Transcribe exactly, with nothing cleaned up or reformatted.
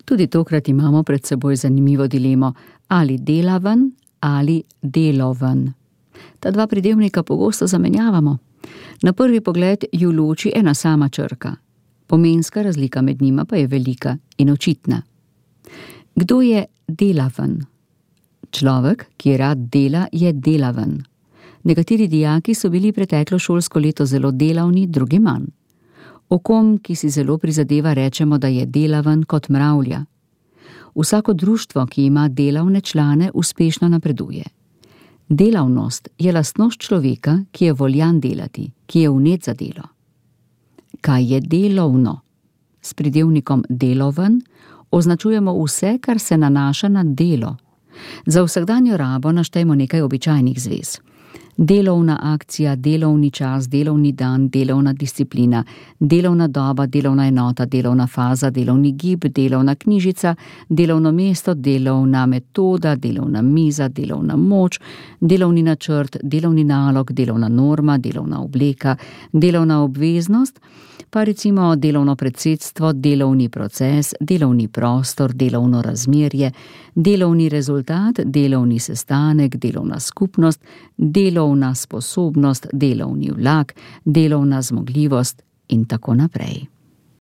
Tudi tokrat imamo pred seboj zanimivo dilemo, ali delaven ali deloven. Ta dva pridevnika pogosto zamenjavamo. Na prvi pogled ju loči ena sama črka. Pomenska razlika med njima pa je velika in očitna. Kdo je delaven? Človek, ki rad dela, je delaven. Nekateri dijaki so bili preteklo šolsko leto zelo delavni, drugi manj. O kom, ki si zelo prizadeva, rečemo, da je delaven kot mravlja. Vsako društvo, ki ima delavne člane, uspešno napreduje. Delavnost je lastnost človeka, ki je voljan delati, ki je vnet za delo. Kaj je delovno? S pridevnikom deloven označujemo vse, kar se nanaša na delo. Za vsakdanjo rabo naštejmo nekaj običajnih zvez. Delovna akcija, delovni čas, delovni dan, delovna disciplina, delovna doba, delovna enota, delovna faza, delovni gib, delovna knjižica, delovno mesto, delovna metoda, delovna miza, delovna moč, delovni načrt, delovni nalog, delovna norma, delovna obleka, delovna obveznost, pa recimo delovno predsedstvo, delovni proces, delovni prostor, delovno razmerje, delovni rezultat, delovni sestanek, delovna skupnost, delovna sposobnost, delovni vlak, delovna zmogljivost in tako naprej.